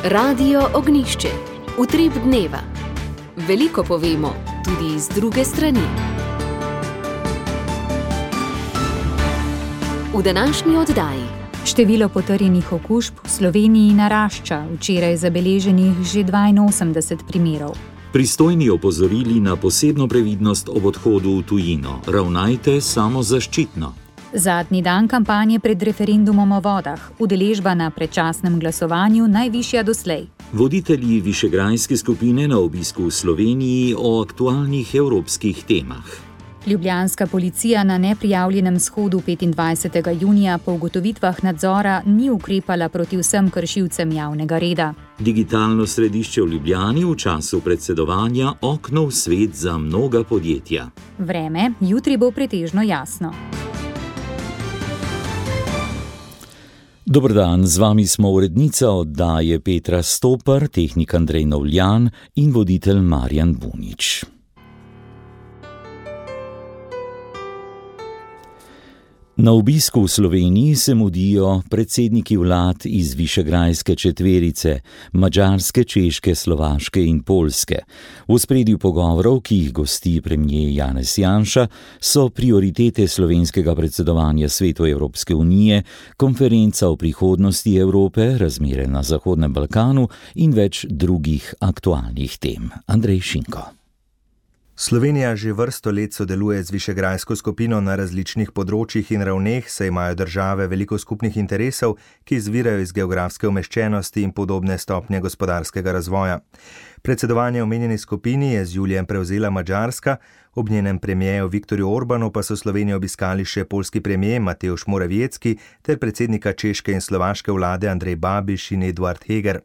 Radio Ognišče, utrip dneva. Veliko povemo, tudi z druge strani. V današnji oddaji. Število potrjenih okužb v Sloveniji narašča, včeraj zabeleženih že 82 primerov. Pristojni opozorili na posebno previdnost ob odhodu v tujino. Ravnajte samozaščitno. Zadnji dan kampanje pred referendumom o vodah. Udeležba na predčasnem glasovanju najvišja doslej. Voditelji Višegrajske skupine na obisku v Sloveniji o aktualnih evropskih temah. Ljubljanska policija na neprijavljenem shodu 25. junija po ugotovitvah nadzora ni ukrepala proti vsem kršilcem javnega reda. Digitalno središče v Ljubljani v času predsedovanja okno v svet za mnoga podjetja. Vreme jutri bo pretežno jasno. Dober dan, z vami smo urednica oddaje Petra Stopar, tehnik Andrej Novljan in voditelj Marjan Bunič. Na obisku v Sloveniji se mudijo predsedniki vlad iz Višegrajske četverice, Madžarske, Češke, Slovaške in Poljske. V ospredju pogovorov, ki jih gosti premier Janez Janša, so prioritete slovenskega predsedovanja Svetu Evropske unije, konferenca o prihodnosti Evrope, razmere na Zahodnem Balkanu in več drugih aktualnih tem. Andrej Šinko. Slovenija že vrsto let sodeluje z Višegrajsko skupino na različnih področjih in ravneh, saj imajo države veliko skupnih interesov, ki izvirajo iz geografske umeščenosti in podobne stopnje gospodarskega razvoja. Predsedovanje omenjeni skupini je z julijem prevzela Madžarska, ob njenem premierju Viktorju Orbanu pa so Slovenijo obiskali še poljski premier Mateusz Morawiecki ter predsednika češke in slovaške vlade Andrej Babiš in Eduard Heger.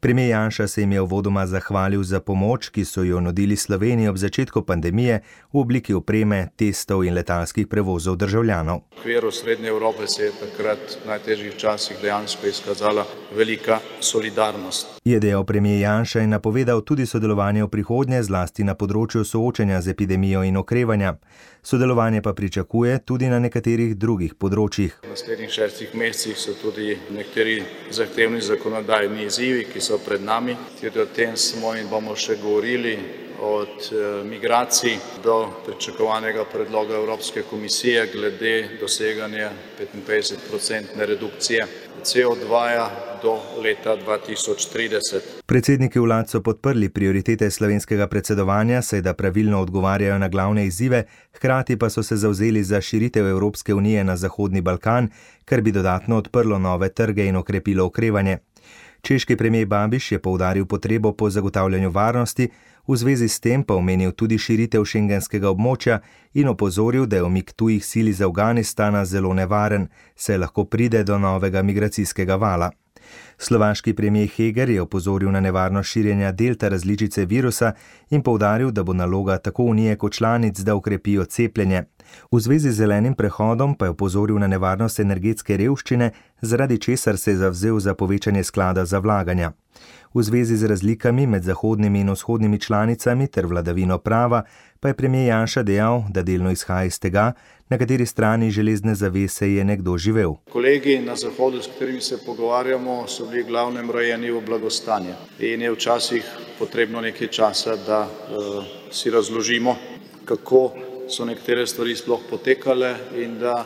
Premier Janša se jim je uvodoma zahvalil za pomoč, ki so jo nudili Sloveniji ob začetku pandemije v obliki opreme, testov in letalskih prevozov državljanov. V okviru Srednje Evrope se je takrat v najtežjih časih dejansko izkazala velika solidarnost. Je dejal premier Janša in napovedal tudi sodelovanje v prihodnje, zlasti na področju soočanja z epidemijo in okrevanja. Sodelovanje pa pričakuje tudi na nekaterih drugih področjih. V naslednjih 6 mesecih so tudi nekateri zahtevni zakonodajni izzivi, ki so pred nami. Tudi o tem smo in bomo še govorili, od migracij do pričakovanega predloga Evropske komisije glede doseganja 55% redukcije CO2 do leta 2030. Predsedniki vlad so podprli prioritete slovenskega predsedovanja, saj da pravilno odgovarjajo na glavne izzive, hkrati pa so se zavzeli za širitev Evropske unije na Zahodni Balkan, kar bi dodatno odprlo nove trge in okrepilo okrevanje. Češki premier Babiš je poudaril potrebo po zagotavljanju varnosti, v zvezi s tem pa omenil tudi širitev šengenskega območja in opozoril, da je umik tujih sil iz Afganistana zelo nevaren, saj lahko pride do novega migracijskega vala. Slovaški premier Heger je opozoril na nevarnost širjenja delta različice virusa in poudaril, da bo naloga tako unije kot članic, da ukrepijo cepljenje. V zvezi z zelenim prehodom pa je opozoril na nevarnost energetske revščine, zaradi česar se je zavzel za povečanje sklada za vlaganja. V zvezi z razlikami med zahodnimi in vzhodnimi članicami ter vladavino prava pa je premier Janša dejal, da delno izhaja iz tega, na kateri strani železne zavese je nekdo živel. Kolegi na Zahodu, s katerimi se pogovarjamo, so bili glavnem rojeni v blagostanje in je včasih potrebno nekaj časa, da si razložimo, kako so nekatere stvari sploh potekale in da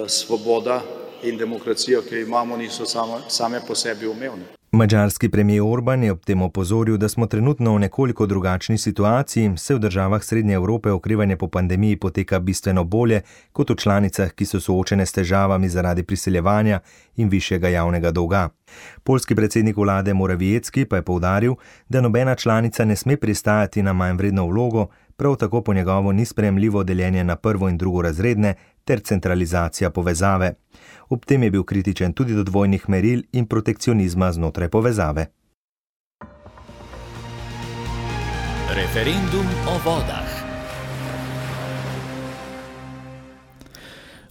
svoboda in demokracija, ki jo imamo, niso same po sebi umevne. Madžarski premier Orban je ob tem opozoril, da smo trenutno v nekoliko drugačni situaciji, saj v državah Srednje Evrope okrevanje po pandemiji poteka bistveno bolje kot v članicah, ki so soočene s težavami zaradi priseljevanja in višjega javnega dolga. Poljski predsednik vlade Morawiecki pa je poudaril, da nobena članica ne sme pristajati na manj vredno vlogo, prav tako po njegovo ni sprejemljivo deljenje na prvo in drugorazredne ter centralizacija povezave. Ob tem je bil kritičen tudi do dvojnih meril in protekcionizma znotraj povezave. Referendum o vodah.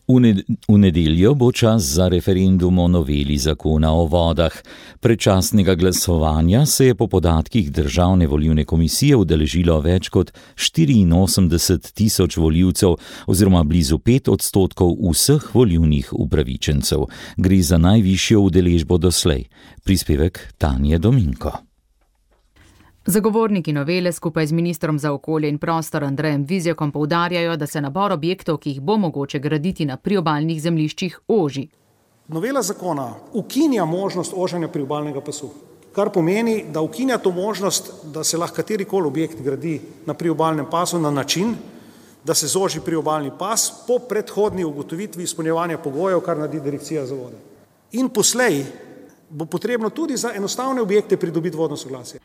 V nedeljo bo čas za referendum o noveli zakona o vodah. Predčasnega glasovanja se je po podatkih Državne volilne komisije udeležilo več kot 84.000 volivcev oziroma blizu 5% vseh volilnih upravičencev. Gre za najvišjo udeležbo doslej. Prispevek Tanje Dominko. Zagovorniki novele skupaj z ministrom za okolje in prostor Andrejem Vizjakom poudarjajo, da se nabor objektov, ki jih bo mogoče graditi na priobalnih zemljiščih, oži. Novela zakona ukinja možnost oženja priobalnega pasu, kar pomeni, da ukinja to možnost, da se lahko katerikoli objekt gradi na priobalnem pasu na način, da se zoži priobalni pas po predhodni ugotovitvi izpolnjevanja pogojev, kar naredi Direkcija za vode. In poslej bo potrebno tudi za enostavne objekte pridobiti vodno soglasje.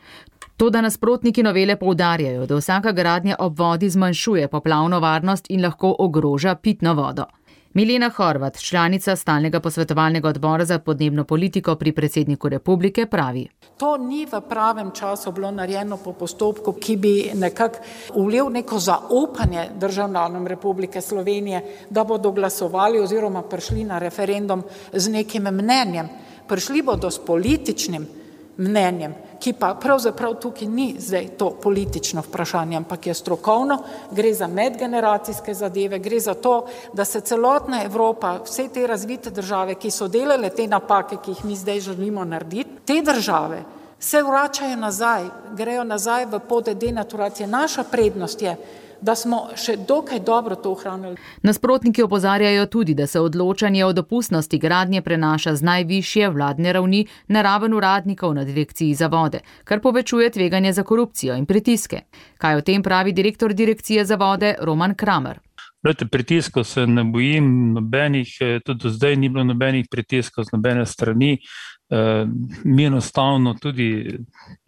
Toda nasprotniki novele poudarjajo, da vsaka gradnja ob vodi zmanjšuje poplavno varnost in lahko ogroža pitno vodo. Milena Horvat, članica stalnega posvetovalnega odbora za podnebno politiko pri predsedniku republike, pravi: To ni v pravem času bilo narejeno po postopku, ki bi nekako vlil neko zaupanje državljanom Republike Slovenije, da bodo glasovali oziroma prišli na referendum z nekim mnenjem. Prišli bodo s političnim mnenjem, ki pa pravzaprav tukaj ni zdaj to politično vprašanje, ampak je strokovno, gre za medgeneracijske zadeve, gre za to, da se celotna Evropa, vse te razvite države, ki so delale te napake, ki jih mi zdaj želimo narediti, te države se vračajo nazaj, grejo nazaj v poti denaturacije. Naša prednost je, da smo še dokaj dobro to ohranili. Nasprotniki opozarjajo tudi, da se odločanje o dopustnosti gradnje prenaša z najvišje vladne ravni na raven uradnikov na Direkciji za vode, kar povečuje tveganje za korupcijo in pritiske. Kaj o tem pravi direktor Direkcije za vode Roman Kramer? Pritiskov se ne bojim nobenih, tudi do zdaj ni bilo nobenih pritiskov z nobene strani. Mi enostavno tudi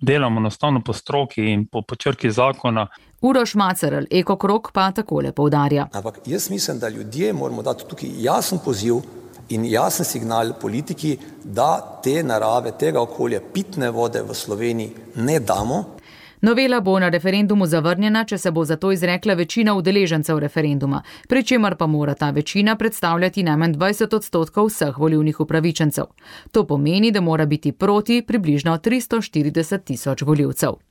delamo enostavno po stroki in po črki zakona. Uroš Macerl, Ekokrog, pa takole poudarja. Ampak jaz mislim, da ljudje moramo dati tukaj jasen poziv in jasen signal politiki, da te narave, tega okolja, pitne vode v Sloveniji ne damo. Novela bo na referendumu zavrnjena, če se bo za to izrekla večina udeležencev referenduma, pri čemer pa mora ta večina predstavljati najmanj 20% vseh volilnih upravičencev. To pomeni, da mora biti proti približno 340.000 volivcev.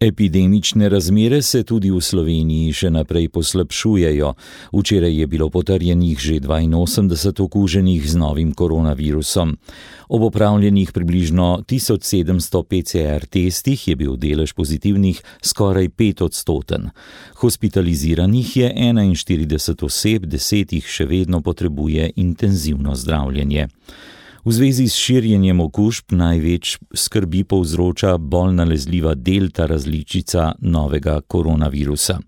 Epidemične razmere se tudi v Sloveniji še naprej poslabšujejo. Včeraj je bilo potrjenih že 82 okuženih z novim koronavirusom. Ob opravljenih približno 1700 PCR testih je bil delež pozitivnih skoraj 5%. Hospitaliziranih je 41 oseb, 10 jih še vedno potrebuje intenzivno zdravljenje. V zvezi s širjenjem okužb največ skrbi povzroča bolj nalezljiva delta različica novega koronavirusa.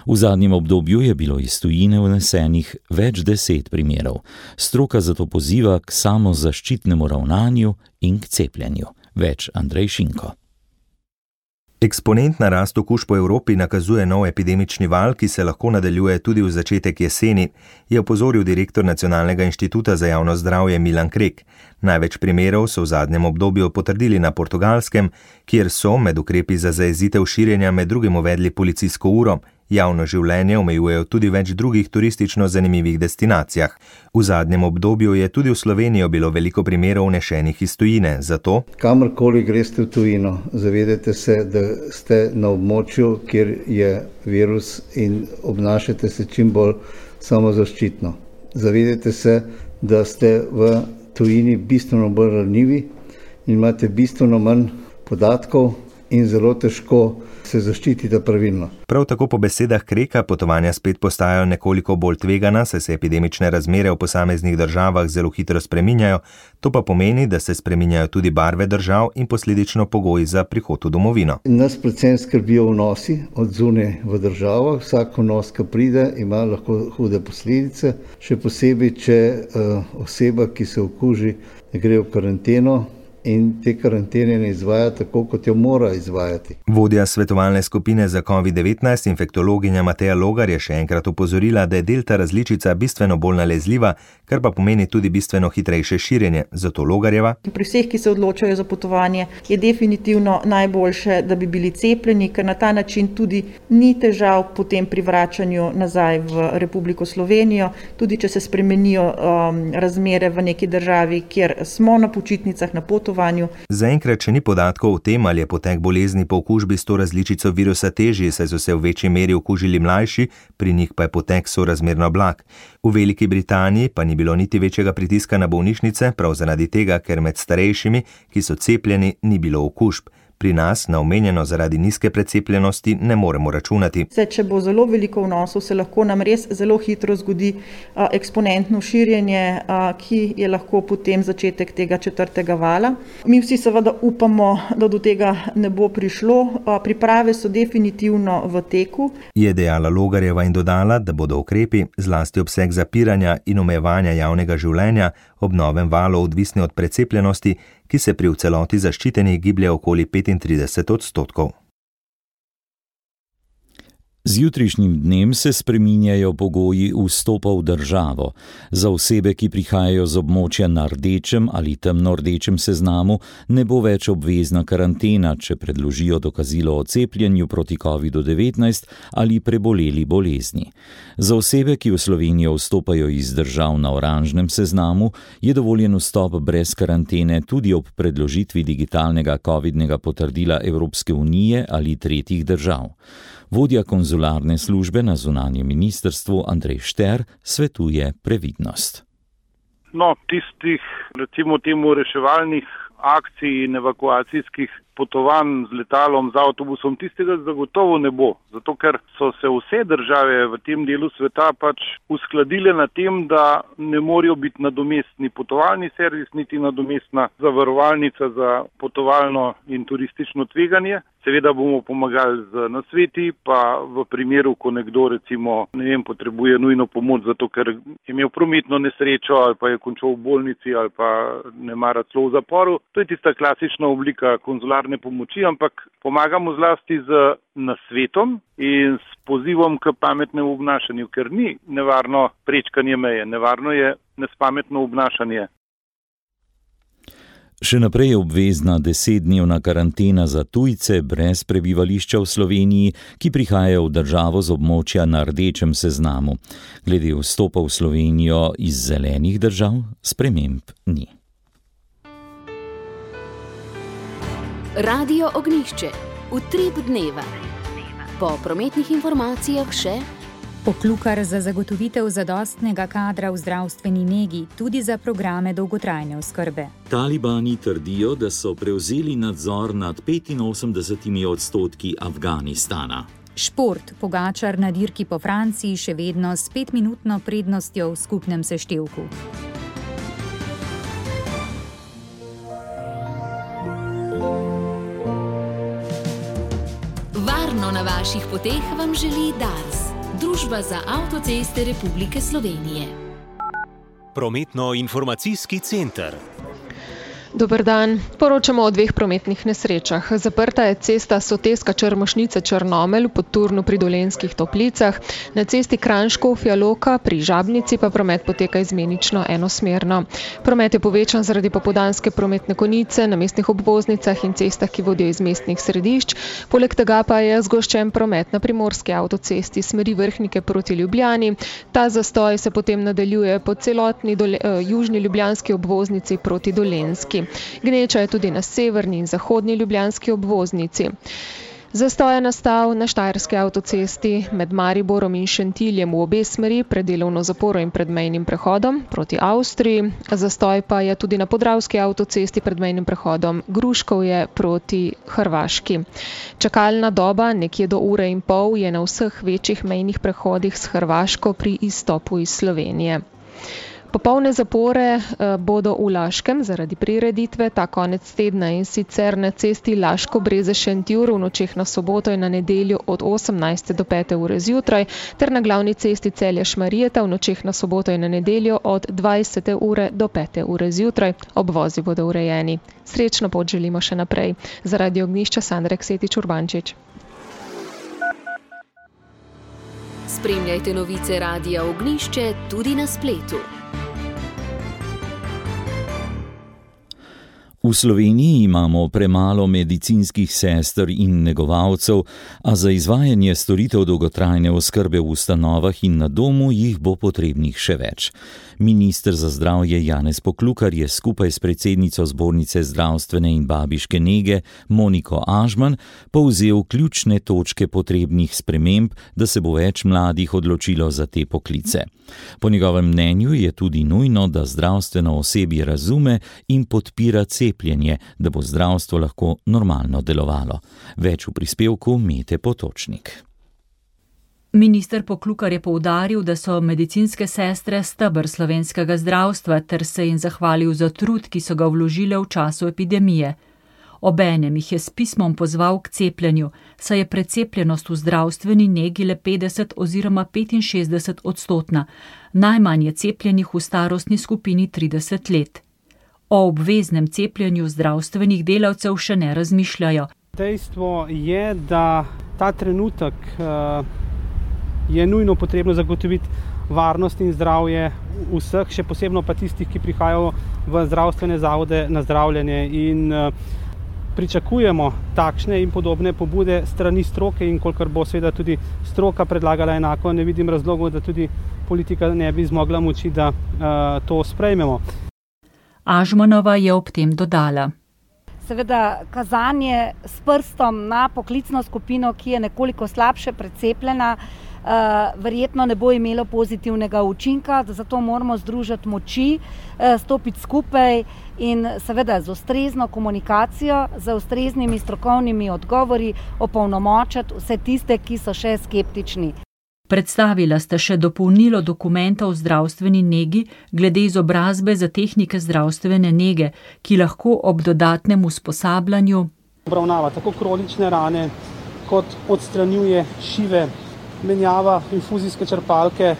V zadnjem obdobju je bilo iz tujine vnesenih več 10 primerov. Stroka zato poziva k samozaščitnemu ravnanju in k cepljenju. Več Andrej Šinko. Eksponentna rast okužb po Evropi nakazuje nov epidemični val, ki se lahko nadaljuje tudi v začetek jeseni, je opozoril direktor Nacionalnega inštituta za javno zdravje Milan Krek. Največ primerov so v zadnjem obdobju potrdili na Portugalskem, kjer so med ukrepi za zajezitev širjenja med drugim uvedli policijsko uro. Javno življenje omejujejo tudi več drugih turistično zanimivih destinacijah. V zadnjem obdobju je tudi v Slovenijo bilo veliko primerov vnešenih iz tujine, zato kamorkoli greste v tujino, zavedajte se, da ste na območju, kjer je virus in obnašate se čim bolj samozaščitno. Zavedajte se, da ste v tujini bistveno bolj ranljivi in imate bistveno manj podatkov in zelo težko se zaščitite pravilno. Prav tako po besedah Kreka potovanja spet postajajo nekoliko bolj tvegana, saj se epidemične razmere v posameznih državah zelo hitro spreminjajo, to pa pomeni, da se spreminjajo tudi barve držav in posledično pogoji za prihod v domovino. Nas predvsem skrbijo vnosi od zunaj v državo. Vsak vnos, ki pride, ima lahko hude posledice, še posebej, če oseba, ki se okuži, gre v karanteno in te karantene ne izvaja tako, kot jo mora izvajati. Vodja svetovalne skupine za COVID-19, infektologinja Mateja Logar, je še enkrat opozorila, da je delta različica bistveno bolj nalezljiva, kar pa pomeni tudi bistveno hitrejše širjenje. Zato Logarjeva: Pri vseh, ki se odločajo za potovanje, je definitivno najboljše, da bi bili cepljeni, ker na ta način tudi ni težav potem pri vračanju nazaj v Republiko Slovenijo, tudi če se spremenijo razmere v neki državi, kjer smo na počitnicah, na potovanju. Zaenkrat še ni podatkov o tem, ali je potek bolezni po okužbi s to različico virusa težji, saj so se v večji meri okužili mlajši, pri njih pa je potek sorazmerno blag. V Veliki Britaniji pa ni bilo niti večjega pritiska na bolnišnice, prav zaradi tega, ker med starejšimi, ki so cepljeni, ni bilo okužb. Pri nas na omenjeno zaradi nizke precepljenosti ne moremo računati. Če bo zelo veliko vnosov, se lahko nam res zelo hitro zgodi eksponentno širjenje, ki je lahko potem začetek tega 4. vala. Mi vsi seveda upamo, da do tega ne bo prišlo. Priprave so definitivno v teku. Je dejala Logarjeva in dodala, da bodo ukrepi, zlasti obseg zapiranja in omejevanja javnega življenja, ob novem valu odvisni od precepljenosti, ki se pri v celoti zaščitenih giblje okoli 35%. Z jutrišnjim dnem se spreminjajo pogoji vstopa v državo. Za osebe, ki prihajajo z območja na rdečem ali temno-rdečem seznamu, ne bo več obvezna karantena, če predložijo dokazilo o cepljenju proti COVID-19 ali preboleli bolezni. Za osebe, ki v Slovenijo vstopajo iz držav na oranžnem seznamu, je dovoljen vstop brez karantene tudi ob predložitvi digitalnega covidnega potrdila Evropske unije ali tretjih držav. Vodja konzularne službe na zunanjem ministrstvu Andrej Šter svetuje previdnost. Tistih, recimo temu, reševalnih akcij in evakuacijskih potovanj z letalom, z avtobusom, tistega zagotovo ne bo. Zato, ker so se vse države v tem delu sveta uskladile na tem, da ne morejo biti nadomestni potovalni servis, niti nadomestna zavarovalnica za potovalno in turistično tveganje. Seveda bomo pomagali z nasveti, pa v primeru, ko nekdo recimo, potrebuje nujno pomoč, zato ker je imel prometno nesrečo ali pa je končal v bolnici ali pa ne mara celo v zaporu. To je tista klasična oblika konzularne pomoči, ampak pomagamo zlasti z nasvetom in s pozivom k pametnemu obnašanju, ker ni nevarno prečkanje meje, nevarno je nespametno obnašanje. Še naprej je obvezna 10-dnevna karantena za tujce brez prebivališča v Sloveniji, ki prihajajo v državo z območja na rdečem seznamu. Glede vstopa v Slovenijo iz zelenih držav sprememb ni. Radio Ognjišče. Utrip dneva. Po prometnih informacijah še Poklukar za zagotovitev zadostnega kadra v zdravstveni negi, tudi za programe dolgotrajne oskrbe. Talibani trdijo, da so prevzeli nadzor nad 85% Afganistana. Šport. Pogačar na dirki po Franciji še vedno s 5-minutno prednostjo v skupnem seštevku. Varno na vaših poteh vam želi Dars, Družba za avtoceste Republike Slovenije. Prometno-informacijski center. Dober dan. Poročamo o 2 prometnih nesrečah. Zaprta je cesta Soteska-Črmošnica-Črnomelj v Podturnu pri Dolenjskih Toplicah. Na cesti Kranj-Škofja-Loka pri Žabnici pa promet poteka izmenično enosmerno. Promet je povečan zaradi popoldanske prometne konice na mestnih obvoznicah in cestah, ki vodijo iz mestnih središč. Poleg tega pa je zgoščen promet na primorski avtocesti smeri Vrhnike proti Ljubljani. Ta zastoj se potem nadaljuje po celotni južni ljubljanski obvoznici proti Dolenjski. Gneča je tudi na severni in zahodni ljubljanski obvoznici. Zastoj je nastal na Štajerski avtocesti med Mariborom in Šentiljem v obe smeri pred delovno zaporo in pred mejnim prehodom proti Avstriji. Zastoj pa je tudi na Podravski avtocesti pred mejnim prehodom Gruškovje proti Hrvaški. Čakalna doba nekje do 1,5 ure je na vseh večjih mejnih prehodih s Hrvaško pri izstopu iz Slovenije. Popolne zapore bodo v Laškem zaradi prireditve ta konec tedna, in sicer na cesti Laško-Breze-Šentjur v nočeh na soboto in na nedeljo od 18. do 5. ure zjutraj ter na glavni cesti Celje-Šmarjeta v nočeh na soboto in na nedeljo od 20. ure do 5. ure zjutraj. Obvozi bodo urejeni. Srečno pot želimo še naprej. Za Radio Ognjišče Sandra Ksetič-Urbančič. Spremljajte novice Radia Ognjišče tudi na spletu. V Sloveniji imamo premalo medicinskih sester in negovalcev, a za izvajanje storitev dolgotrajne oskrbe v ustanovah in na domu jih bo potrebnih še več. Minister za zdravje Janez Poklukar je skupaj s predsednico Zbornice zdravstvene in babiške nege Moniko Ažman povzel ključne točke potrebnih sprememb, da se bo več mladih odločilo za te poklice. Po njegovem mnenju je tudi nujno, da zdravstveno osebje razume in podpira cepljenje, da bo zdravstvo lahko normalno delovalo. Več v prispevku Mete Potočnik. Minister Poklukar je poudaril, da so medicinske sestre steber slovenskega zdravstva ter se jim zahvalil za trud, ki so ga vložile v času epidemije. Obenem jih je s pismom pozval k cepljenju, saj je precepljenost v zdravstveni negi le 50 oziroma 65%, najmanj je cepljenih v starostni skupini 30 let. O obveznem cepljenju zdravstvenih delavcev še ne razmišljajo. Dejstvo je, da ta trenutek je nujno potrebno zagotoviti varnost in zdravje vseh, še posebno pa tistih, ki prihajajo v zdravstvene zavode na zdravljenje, in pričakujemo takšne in podobne pobude strani stroke, in kolikor bo seveda tudi stroka predlagala enako, ne vidim razlogov, da tudi politika ne bi zmogla moči, da to sprejmemo. Ažmanova je ob tem dodala. Seveda kazanje s prstom na poklicno skupino, ki je nekoliko slabše precepljena, verjetno ne bo imelo pozitivnega učinka, zato moramo združiti moči, stopiti skupaj in seveda z ustrezno komunikacijo, z ustreznimi strokovnimi odgovori opolnomočiti vse tiste, ki so še skeptični. Predstavila sta še dopolnilo dokumenta o zdravstveni negi glede izobrazbe za tehnike zdravstvene nege, ki lahko ob dodatnem usposabljanju obravnava tako kronične rane, kot odstranjuje šive, menjava infuzijske črpalke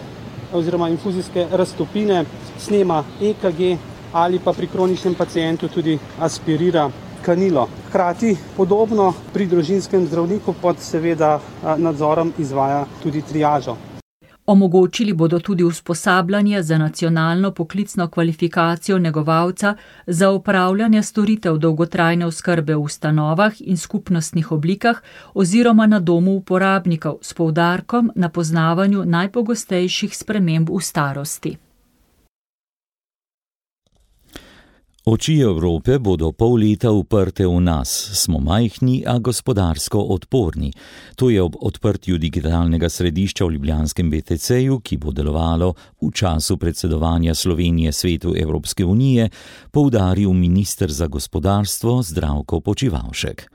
oziroma infuzijske raztopine, snema EKG ali pa pri kroničnem pacientu tudi aspirira kanilo. Hkrati podobno pri družinskem zdravniku pod seveda nadzorom izvaja tudi triažo. Omogočili bodo tudi usposabljanje za nacionalno poklicno kvalifikacijo negovalca za opravljanje storitev dolgotrajne oskrbe v ustanovah in skupnostnih oblikah oziroma na domu uporabnikov s poudarkom na poznavanju najpogostejših sprememb v starosti. Oči Evrope bodo pol leta uprte v nas. Smo majhni, a gospodarsko odporni. To je ob odprtju digitalnega središča v ljubljanskem BTC-ju, ki bo delovalo v času predsedovanja Slovenije Svetu Evropske unije, poudaril minister za gospodarstvo Zdravko Počivalšek.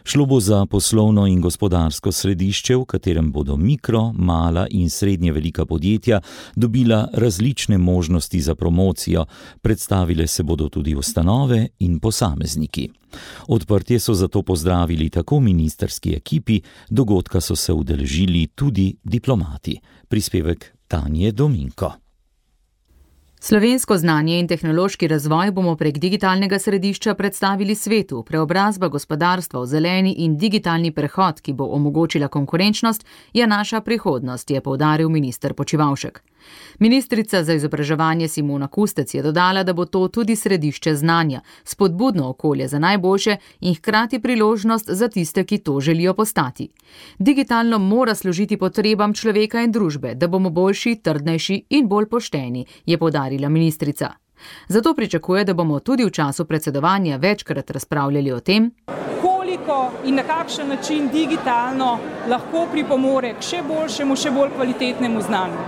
Šlo bo za poslovno in gospodarsko središče, v katerem bodo mikro, mala in srednje velika podjetja dobila različne možnosti za promocijo, predstavile se bodo tudi ustanove in posamezniki. Odprtje so zato pozdravili tako ministrski ekipi, dogodka so se udeležili tudi diplomati. Prispevek Tanje Dominko. Slovensko znanje in tehnološki razvoj bomo prek digitalnega središča predstavili svetu. Preobrazba gospodarstva v zeleni in digitalni prehod, ki bo omogočila konkurenčnost, je naša prihodnost, je poudaril minister Počivalšek. Ministrica za izobraževanje Simona Kustec je dodala, da bo to tudi središče znanja, spodbudno okolje za najboljše in hkrati priložnost za tiste, ki to želijo postati. Digitalno mora služiti potrebam človeka in družbe, da bomo boljši, trdnejši in bolj pošteni, je poudarila ministrica. Zato pričakuje, da bomo tudi v času predsedovanja večkrat razpravljali o tem, koliko in na kakšen način digitalno lahko pripomore k še boljšemu, še bolj kvalitetnemu znanju.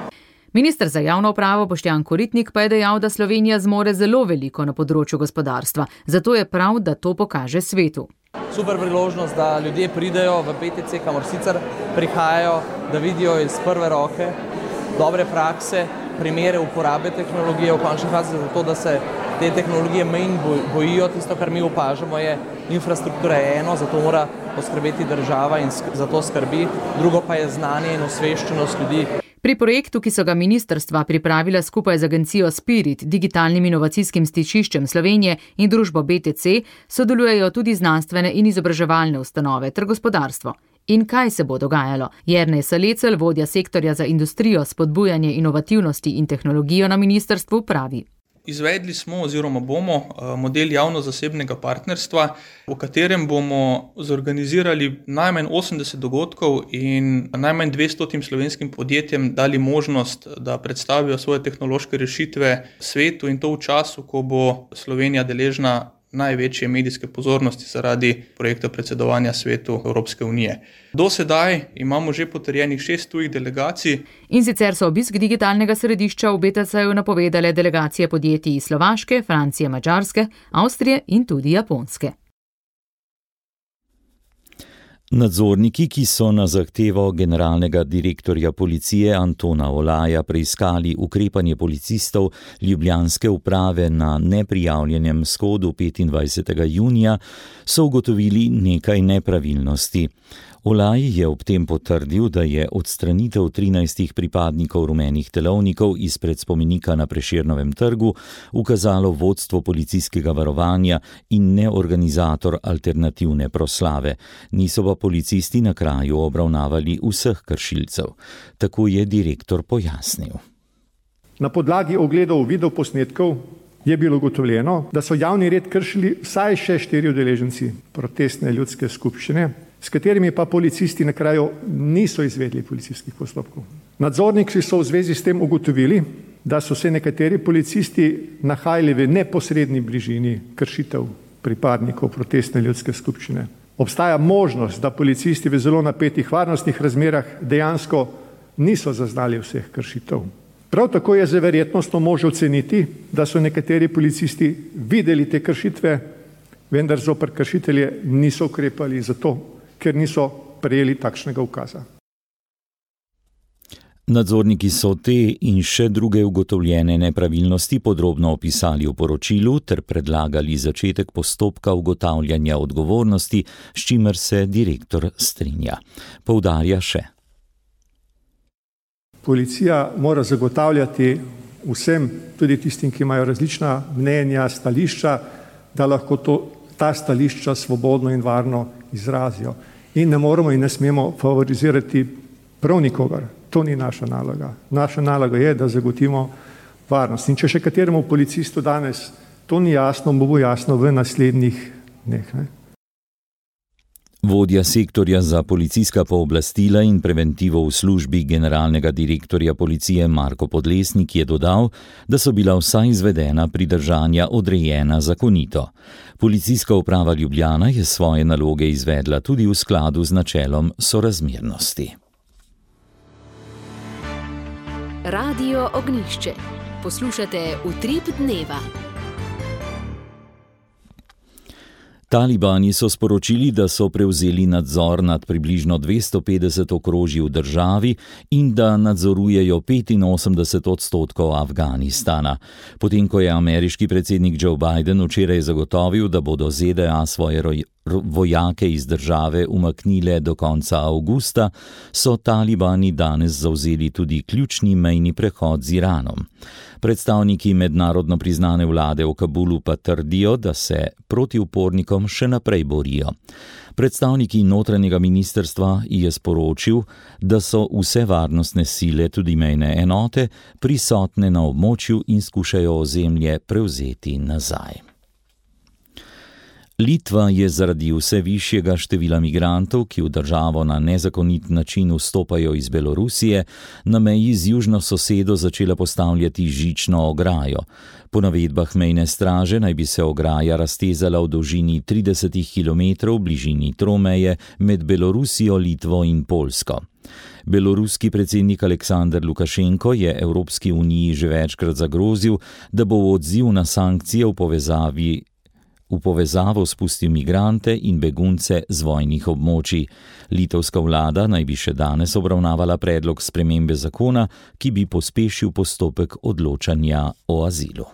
Minister za javno upravo Boštjan Koritnik pa je dejal, da Slovenija zmore zelo veliko na področju gospodarstva, zato je prav, da to pokaže svetu. Super priložnost, da ljudje pridejo v BTC, kamor sicer prihajajo, da vidijo iz prve roke dobre prakse primere uporabe tehnologije v končni fazi, zato da se te tehnologije manj bojijo. Tisto, kar mi opažamo, je infrastruktura eno, zato mora poskrbeti država in za to skrbi, drugo pa je znanje in osveščenost ljudi. Pri projektu, ki so ga ministrstva pripravila skupaj z agencijo Spirit, digitalnim inovacijskim stičiščem Slovenije in družbo BTC, sodelujejo tudi znanstvene in izobraževalne ustanove ter gospodarstvo. In kaj se bo dogajalo? Jernej Salecel, vodja sektorja za industrijo, spodbujanje inovativnosti in tehnologijo na ministrstvu, pravi. Izvedli smo oziroma bomo model javno-zasebnega partnerstva, v katerem bomo zorganizirali najmanj 80 dogodkov in najmanj 200 slovenskim podjetjem dali možnost, da predstavijo svoje tehnološke rešitve svetu in to v času, ko bo Slovenija deležna največje medijske pozornosti zaradi projekta predsedovanja svetu Evropske unije. Do sedaj imamo že potrjenih 6 tujih delegacij. In sicer so obisk digitalnega središča v BTC-ju napovedale delegacije podjetij iz Slovaške, Francije, Madžarske, Avstrije in tudi Japonske. Nadzorniki, ki so na zahtevo generalnega direktorja policije Antona Olaja preiskali ukrepanje policistov ljubljanske uprave na neprijavljenem shodu 25. junija, so ugotovili nekaj nepravilnosti. Olaj je ob tem potrdil, da je odstranitev 13 pripadnikov rumenih telovnikov izpred spomenika na Prešernovem trgu ukazalo vodstvo policijskega varovanja in ne organizator alternativne proslave. Niso pa policisti na kraju obravnavali vseh kršilcev. Tako je direktor pojasnil. Na podlagi ogledov videoposnetkov je bilo ugotovljeno, da so javni red kršili vsaj še 4 udeleženci protestne ljudske skupščine, s katerimi pa policisti na kraju niso izvedli policijskih postopkov. Nadzorniki so v zvezi s tem ugotovili, da so se nekateri policisti nahajali v neposredni bližini kršitev pripadnikov protestne ljudske skupščine. Obstaja možnost, da policisti v zelo napetih varnostnih razmerah dejansko niso zaznali vseh kršitev. Prav tako je z verjetnostno može oceniti, da so nekateri policisti videli te kršitve, vendar zoper kršitelje niso ukrepali zato, ker niso prejeli takšnega ukaza. Nadzorniki so te in še druge ugotovljene nepravilnosti podrobno opisali v poročilu ter predlagali začetek postopka ugotavljanja odgovornosti, s čimer se direktor strinja. Poudarja še. Policija mora zagotavljati vsem, tudi tistim, ki imajo različna mnenja, stališča, da lahko ta stališča svobodno in varno izrazijo. In ne moramo in ne smemo favorizirati prav nikogar. To ni naša naloga. Naša naloga je, da zagotovimo varnost. In če še kateremu policistu danes to ni jasno, bo jasno v naslednjih dneh. Vodja sektorja za policijska pooblastila in preventivo v službi generalnega direktorja policije Marko Podlesnik je dodal, da so bila vsa izvedena pridržanja odrejena zakonito. Policijska uprava Ljubljana je svoje naloge izvedla tudi v skladu z načelom sorazmernosti. Radio Ognjišče. Poslušate Utrip dneva. Talibani so sporočili, da so prevzeli nadzor nad približno 250 okrožji v državi in da nadzorujejo 85% Afganistana. Potem, ko je ameriški predsednik Joe Biden včeraj zagotovil, da bodo ZDA svoje vojake iz države umaknile do konca avgusta, so talibani danes zavzeli tudi ključni mejni prehod z Iranom. Predstavniki mednarodno priznane vlade v Kabulu pa trdijo, da se proti upornikom še naprej borijo. Predstavniki notranjega ministrstva je sporočil, da so vse varnostne sile, tudi mejne enote, prisotne na območju in skušajo ozemlje prevzeti nazaj. Litva je zaradi vse višjega števila migrantov, ki v državo na nezakonit način vstopajo iz Belorusije, na meji z južno sosedo začela postavljati žično ograjo. Po navedbah mejne straže naj bi se ograja raztezala v dolžini 30 km v bližini tromeje med Belorusijo, Litvo in Poljsko. Beloruski predsednik Aleksandar Lukašenko je Evropski uniji že večkrat zagrozil, da bo v odziv na sankcije v povezavi v povezavo spustil migrante in begunce z vojnih območij. Litovska vlada naj bi še danes obravnavala predlog spremembe zakona, ki bi pospešil postopek odločanja o azilu.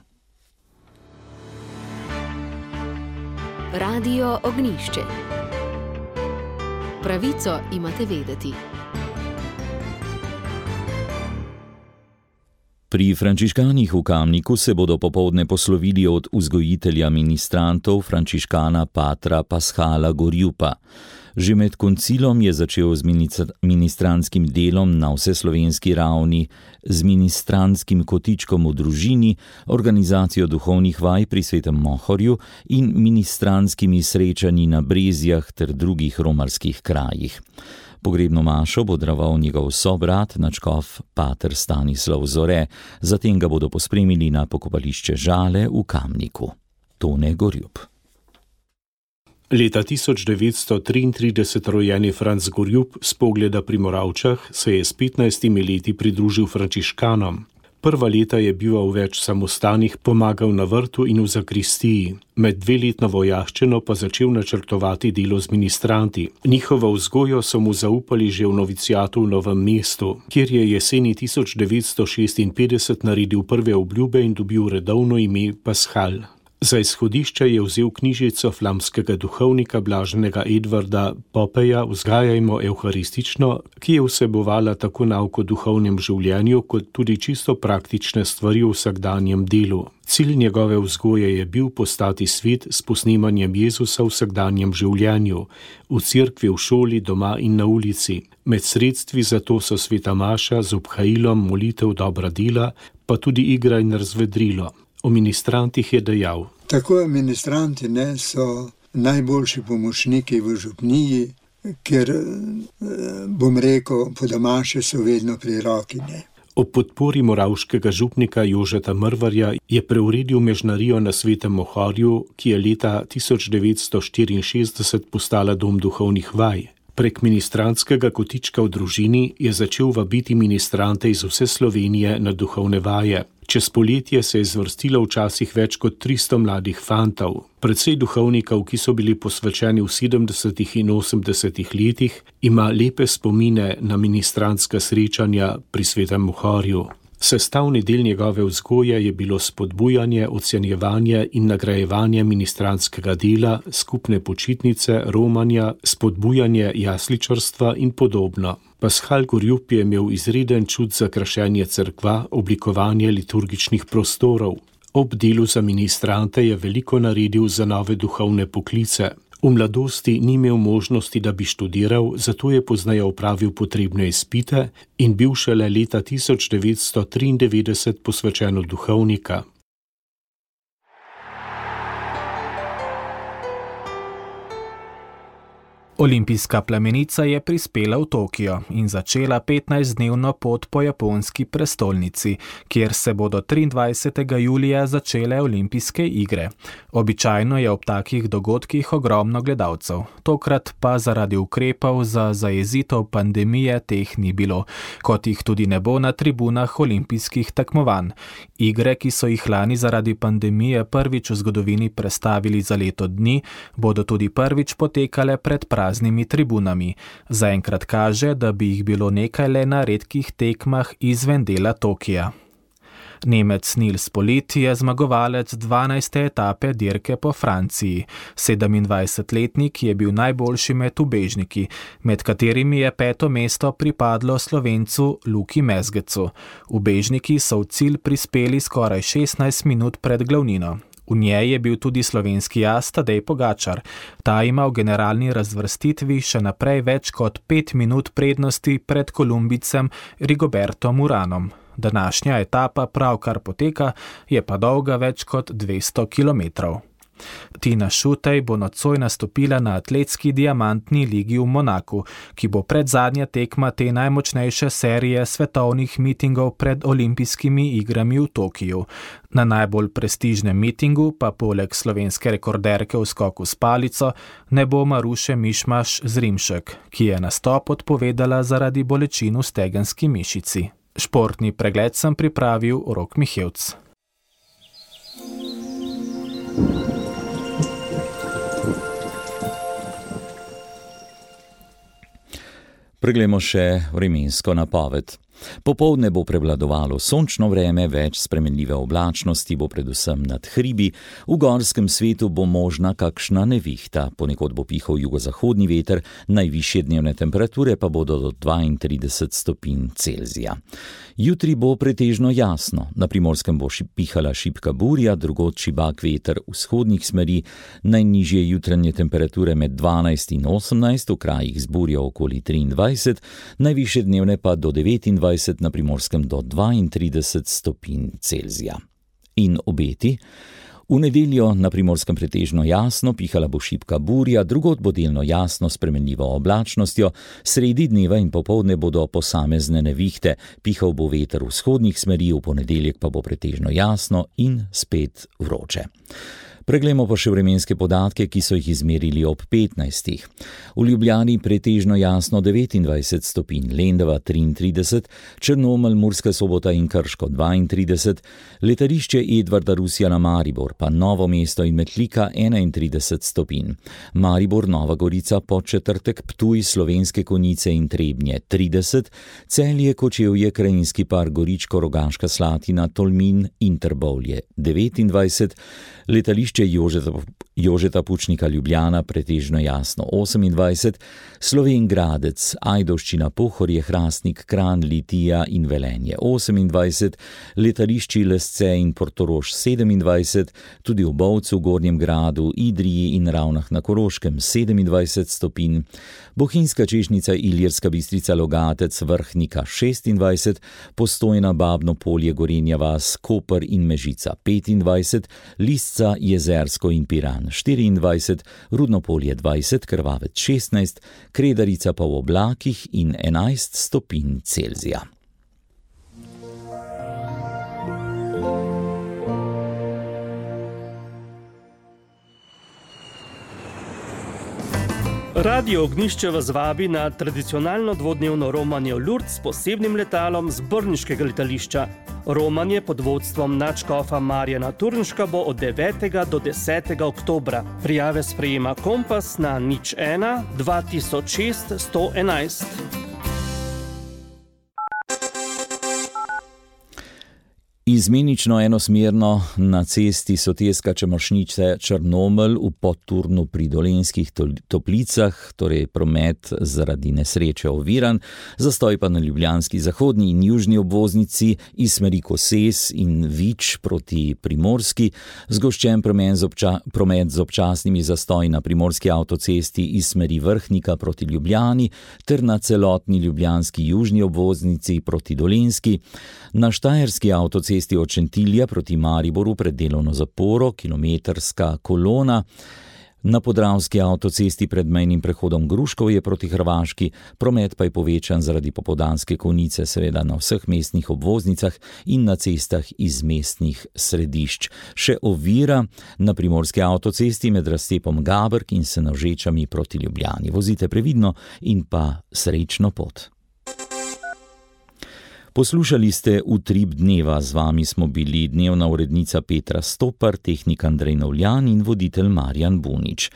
Radio Ognjišče. Pravico imate vedeti. Pri frančiškanih v Kamniku se bodo popoldne poslovili od vzgojitelja ministrantov frančiškana patra Pascala Gorjupa. Že med koncilom je začel z ministranskim delom na vseslovenski ravni, z ministranskim kotičkom v družini, organizacijo duhovnih vaj pri Svetem Mohorju in ministranskimi srečanji na Brezjah ter drugih romarskih krajih. Pogrebno mašo bo daroval njegov sobrat, nadškof pater Stanislav Zore, zatem ga bodo pospremili na pokopališče Žale v Kamniku. Tone Gorjup. Leta 1933 rojeni Franc Gorjup s Pogleda pri Moravčah se je s 15 leti pridružil frančiškanom. Prva leta je bival v več samostanih, pomagal na vrtu in v zakristiji. Med 2-letno vojaščino pa začel načrtovati delo z ministranti. Njihovo vzgojo so mu zaupali že v noviciatu v Novem mestu, kjer je jeseni 1956 naredil prve obljube in dobil redovno ime Pascal. Za izhodišče je vzel knjižico flamskega duhovnika blaženega Edvarda Popeja Vzgajajmo evharistično, ki je vsebovala tako nauk o duhovnem življenju, kot tudi čisto praktične stvari v vsakdanjem delu. Cilj njegove vzgoje je bil postati svet s posnemanjem Jezusa v vsakdanjem življenju, v cerkvi, v šoli, doma in na ulici. Med sredstvi za to so sveta maša z obhajilom, molitev, dobra dela, pa tudi igra in razvedrilo. O ministrantih je dejal: Tako ministranti so najboljši pomočniki v župniji, ker, bom rekel, po domače so vedno pri roki. Ob podpori moravškega župnika Jožeta Mrvarja je preuredil mežnarijo na Svetem Mohorju, ki je leta 1964 postala dom duhovnih vaj. Prek ministrantskega kotička v družini je začel vabiti ministrante iz vse Slovenije na duhovne vaje. Čez poletje se je zvrstilo včasih več kot 300 mladih fantov. Precej duhovnikov, ki so bili posvečeni v 70. in 80. letih, ima lepe spomine na ministrantska srečanja pri Svetem Mohorju. Sestavni del njegove vzgoje je bilo spodbujanje, ocenjevanje in nagrajevanje ministrantskega dela, skupne počitnice, romanja, spodbujanje jasličarstva in podobno. Pascal Gorjup je imel izreden čut za krašenje cerkva, oblikovanje liturgičnih prostorov. Ob delu za ministrante je veliko naredil za nove duhovne poklice. V mladosti ni imel možnosti, da bi študiral, zato je pozneje opravil potrebne izpite in bil šele leta 1993 posvečen v duhovnika. Olimpijska plamenica je prispela v Tokio in začela 15-dnevno pot po japonski prestolnici, kjer se bodo 23. julija začele olimpijske igre. Običajno je ob takih dogodkih ogromno gledalcev, tokrat pa zaradi ukrepov za zajezitev pandemije teh ni bilo, kot jih tudi ne bo na tribunah olimpijskih tekmovanj. Igre, ki so jih lani zaradi pandemije prvič v zgodovini prestavili za leto dni, bodo tudi prvič potekale pred praznimi tribunami. Zaenkrat kaže, da bi jih bilo nekaj le na redkih tekmah izven dela Tokija. Nemec Nils Polit je zmagovalec 12. etape dirke po Franciji. 27-letnik je bil najboljši med ubežniki, med katerimi je 5. mesto pripadlo Slovencu Luki Mezgecu. Ubežniki so v cilj prispeli skoraj 16 minut pred glavnino. V njej je bil tudi slovenski as Tadej Pogačar. Ta ima v generalni razvrstitvi še naprej več kot 5 minut prednosti pred Kolumbicem Rigobertom Uranom. Današnja etapa pravkar poteka, je pa dolga več kot 200 kilometrov. Tina Šutej bo nocoj nastopila na atletski diamantni ligi v Monaku, ki bo predzadnja tekma te najmočnejše serije svetovnih mitingov pred olimpijskimi igrami v Tokiju. Na najbolj prestižnem mitingu pa poleg slovenske rekorderke v skoku s palico ne bo Maruše Mišmaš Zrimšek, ki je nastop odpovedala zaradi bolečin v stegenski mišici. Športni pregled sem pripravil Rok Mihevc. Preglejmo še vremensko napoved. Popoldne bo prevladovalo sončno vreme, več spremenljive oblačnosti bo predvsem nad hribi, v gorskem svetu bo možna kakšna nevihta, ponekod bo pihal jugozahodni veter, najvišje dnevne temperature pa bodo do 32 stopinj Celzija. Jutri bo pretežno jasno, na Primorskem bo pihala šibka burja, drugod šibak veter vzhodnih smeri, najnižje jutranje temperature med 12 in 18, v krajih z burjo okoli 23, najvišje dnevne pa do 29, na Primorskem do 32 stopinj Celzija. In obeti? V nedeljo na Primorskem pretežno jasno, pihala bo šibka burja, drugod bo delno jasno spremenljivo oblačnostjo, sredi dneva in popoldne bodo posamezne nevihte, pihal bo veter vzhodnih smeri, v ponedeljek pa bo pretežno jasno in spet vroče. Preglejmo pa še vremenske podatke, ki so jih izmerili ob 15. V Ljubljani pretežno jasno 29 stopinj, Lendava 33, Črnomelj, Murska Sobota in Krško 32, letališče Edvarda Rusjana Maribor, pa Novo mesto in Metlika 31 stopinj, Maribor, Nova Gorica, Podčetrtek, Ptuj, Slovenske Konjice in Trebnje 30, Celje, Kočevje, Krajinski park, Goričko, Rogaška Slatina, Tolmin in Trbovlje 29, letališče Jožeta Pučnika Ljubljana pretežno jasno 28, Slovenj Gradec, Ajdovščina, Pohorje, Hrastnik, Kranj, Litija in Velenje 28, letališči Lesce in Portorož 27, tudi v Bovcu, Gornjem Gradu, Idriji in Ravnah na Koroškem 27 stopinj, Bohinjska Češnica, Ilirska Bistrica, Logatec, Vrhnika 26, Postojna, Babno Polje, Gorenja vas, Koper in Mežica 25, Lisca, Jezersko in Piran 24, Rudno Polje 20, Krvavec 16, Kredarica pa v oblakih in 11 stopinj Celzija. Radio Ognjišče vas vabi na tradicionalno dvodnevno romanje v Lourdes s posebnim letalom z brniškega letališča. Romanje pod vodstvom nadškofa Marjana Turnška bo od 9. do 10. oktobra. Prijave sprejema Kompas na 01 2006 111. Izmenično enosmerno na cesti Soteska Črnošnice Črnomelj v Podturnu pri Dolenjskih Toplicah, torej promet zaradi nesreče oviran, zastoj pa na ljubljanski zahodni in južni obvoznici iz smeri Koses in Vič proti Primorski, zgoščen promet z občasnimi zastoji na primorski avtocesti iz smeri Vrhnika proti Ljubljani ter na celotni ljubljanski južni obvoznici proti Dolenjski, na štajerski avtocesti od Šentilja proti Mariboru pred delovno zaporo, kilometrska kolona, na podravski avtocesti pred mejnim prehodom Gruškovje proti Hrvaški, promet pa je povečan zaradi popoldanske konice, seveda na vseh mestnih obvoznicah in na cestah iz mestnih središč. Še ovira na primorski avtocesti med razcepom Gabrk in Senožečami proti Ljubljani. Vozite previdno in pa srečno pot. Poslušali ste Utrip dneva, z vami smo bili dnevna urednica Petra Stopar, tehnik Andrej Novljan in voditelj Marjan Bunič.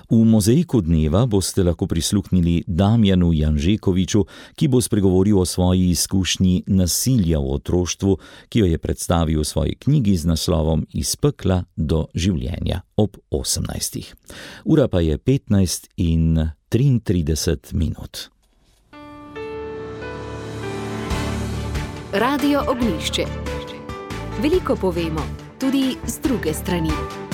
V mozaiku dneva boste lahko prisluhnili Damjanu Janžekoviču, ki bo spregovoril o svoji izkušnji nasilja v otroštvu, ki jo je predstavil v svoji knjigi z naslovom Iz pekla do življenja ob 18. Ura pa je 15:33 minut. Radio Ognjišče. Veliko povemo, tudi z druge strani.